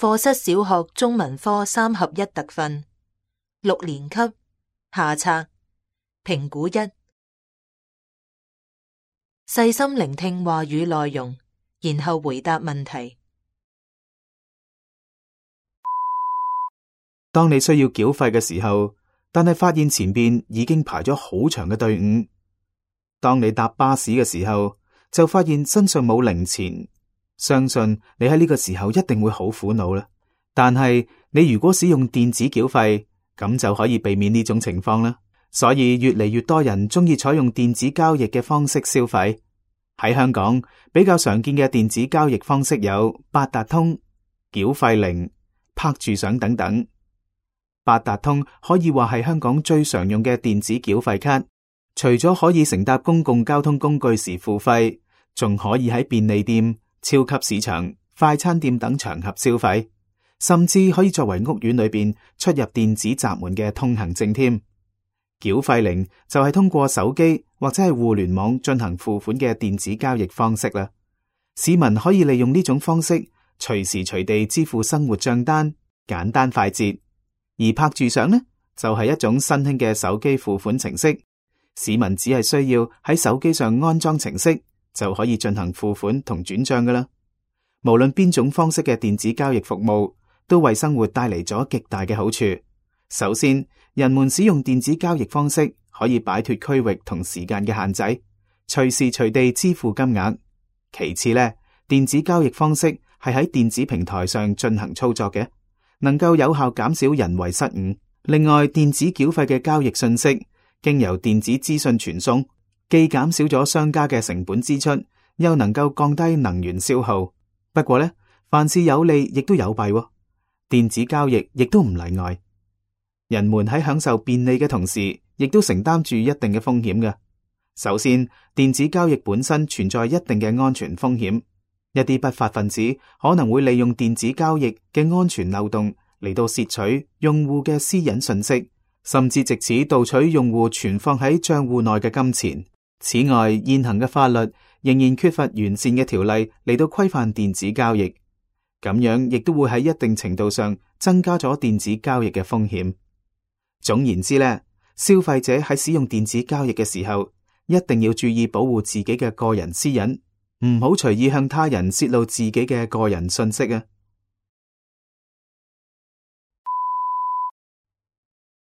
課室小學中文科3合1特訓6年級下冊評估1，細心聆聽話語內容，然後回答問題。當你需要繳費嘅時候，但係發現前邊已經排咗好長嘅隊伍。當你搭巴士嘅時候，就發現身上冇零錢，相信你喺呢個時候一定會好苦惱啦。但係你如果使用電子繳費，咁就可以避免呢種情況啦。所以越嚟越多人中意採用電子交易嘅方式消費。喺香港比較常見嘅電子交易方式有八達通、繳費靈、拍住賞等等。八達通可以話係香港最常用嘅電子繳費卡，除咗可以乘搭公共交通工具時付費，仲可以喺便利店、超級市場、快餐店等場合消費，甚至可以作為屋苑裏邊出入電子閘門嘅通行證添。繳費靈就係通過手機或者係互聯網進行付款嘅電子交易方式啦。市民可以利用呢種方式隨時隨地支付生活賬單，簡單快捷。而拍住賞呢，就係一種新興嘅手機付款程式，市民只係需要喺手機上安裝程式，就可以進行付款同轉賬噶啦。無論邊種方式嘅電子交易服務，都為生活帶嚟咗極大嘅好處。首先，人們使用電子交易方式可以擺脫區域同時間嘅限制，隨時隨地支付金額。其次呢，電子交易方式係喺電子平台上進行操作嘅，能夠有效減少人為失誤。另外，電子繳費嘅交易信息經由電子資訊傳送，既減少咗商家嘅成本支出，又能夠降低能源消耗。不過呢，凡事有利亦都有弊喎，電子交易亦都唔例外。人們喺享受便利嘅同時，亦都承擔住一定嘅風險嘅。首先，電子交易本身存在一定嘅安全風險。一啲不法分子可能會利用電子交易嘅安全漏洞嚟到竊取用戶嘅私隱信息，甚至借此盜取用戶存放喺賬戶內嘅金錢。此外，現行嘅法律仍然缺乏完善嘅條例嚟到規範電子交易，咁樣亦都會喺一定程度上增加咗電子交易嘅風險。總言之呢，消費者喺使用電子交易嘅時候，一定要注意保護自己嘅個人私隱，唔好隨意向他人泄露自己嘅個人信息啊。